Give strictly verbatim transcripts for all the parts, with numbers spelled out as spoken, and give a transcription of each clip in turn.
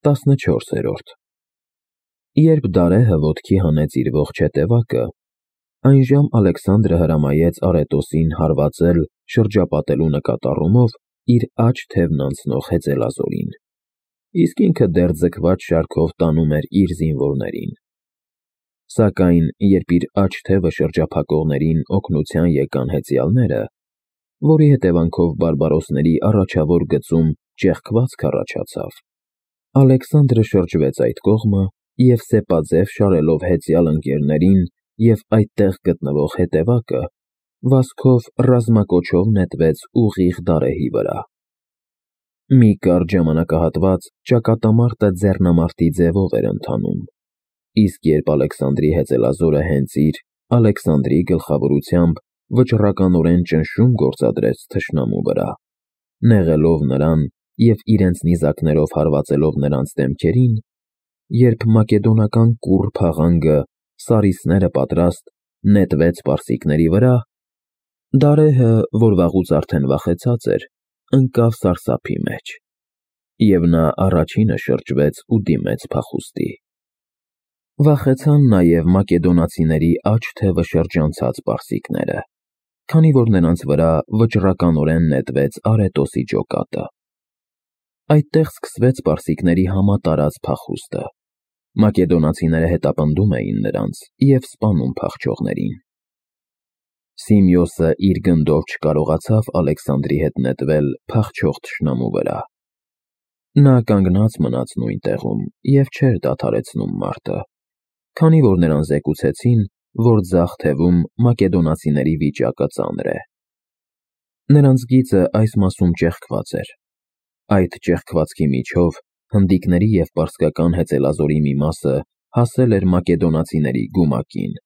տասնչորսերորդ Երբ Դարեհը ոտքի հանեց իր ողջ հետևակը, այնժամ Ալեքսանդրը հրամայեց Արետոսին հարվածել շրջապատելու նկատառումով իր աջ թևն անցնող հեծելազորին, իսկ ինքը դեռ ձգված շարքով տանում էր իր զինվորներին։ Սակայն երբ իր աջ թևը շրջափակողներին օգնության եկան հեծյալները, որի հետևանքով բարբարոսների առաջավոր գծում ճեղքվածք առաջացավ, Ալեքսանդրը շրջվեց այդ կողմը և սեպաձև շարելով հեծյալ ընկերներին և այդտեղ գտնվող հետևակը, վազքով ռազմակոչով նետվեց ուղիղ Դարեհի վրա։ Մի կարճ ժամանակահատված ճակատամարտը ձեռնամարտի ձևով էր ընթանում, իսկ երբ Ալեքսանդրի հեծելազորը հենց իր՝ Ալեքսանդրի գլխավորությամբ վճռականորեն ճնշում գործադրեց թշնամու վրա, նեղելով նրան և իրենց նիզակներով հարվածելով նրանց դեմքերին, երբ մակեդոնական կուռ փաղանգը, սարիսները պատրաստ, նետվեց պարսիկների վրա, Դարեհը, որ վաղուց արդեն վախեցած էր, ընկավ սարսափի մեջ, և նա առաջինը շրջվեց ու դիմեց փախուստի։ Վախեցան նաև մակեդոնացիների աջ թևը շրջանցած պարսիկները, քանի որ նրանց վրա վճռականորեն նետվեց Արետոսի ջոկատը։ Այդտեղ սկսվեց պարսիկների համատարած փախուստը։ Մակեդոնացիները հետապնդում էին նրանց և սպանում փախչողներին։ Սիմեոսը իր գնդով չկարողացավ Ալեքսանդրի հետ նետվել փախչող թշնամու վրա։ Նա կանգնած մնաց նույն տեղում և չէր դադարեցնում մարտը, քանի որ նրան զեկուցեցին, որ ձախ թևում մակեդոնացիների վիճակը ծանր է։ Նրանց գիծը այս մասում ճեղքված էր։ Այդ ճեղքվածքի միջով հնդիկների և պարսկական հեծելազորի մի մասը հասել էր մակեդոնացիների գումակին։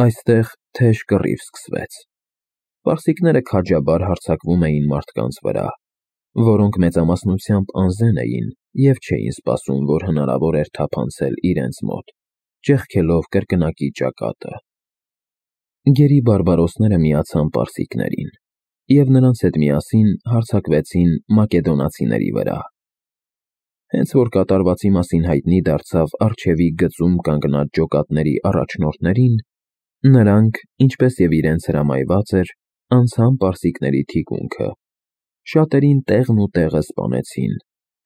Այստեղ թեժ կռիվ սկսվեց։ Պարսիկները քաջաբար հարձակվում էին մարդկանց վրա, որոնք մեծամասնությամբ անզեն էին և չէին սպասում, որ հնարավոր էր թափանցել իրենց մոտ, ճեղքելով կրկնակի ճակատը։ Գերի բարբարոսները միացան պարսիկներին և նրանց հետ միասին հարձակվեցին մակեդոնացիների վրա։ Հենց որ կատարվածի մասին հայտնի դարձավ առջևի գծում կանգնած ջոկատների առաջնորդներին, նրանք, ինչպես և իրենց հրամայված էր, անցան պարսիկների թիկունքը, շատերին տեղն ու տեղը սպանեցին,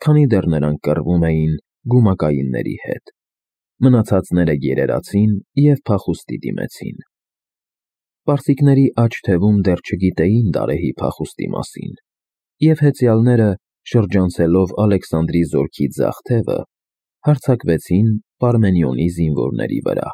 քանի դեռ նրանք կռվում էին գումակայինների հետ։ Մնացածները գերերացին և փախուստի դիմեցին։ Պարսիկների աջ թևում դեռ չգիտեին Դարեհի փախուստի մասին, և հեծյալները, շրջանցելով Ալեքսանդրի զորքի ձախ թևը, հարձակվեցին Պարմենիոնի զինվորների վրա։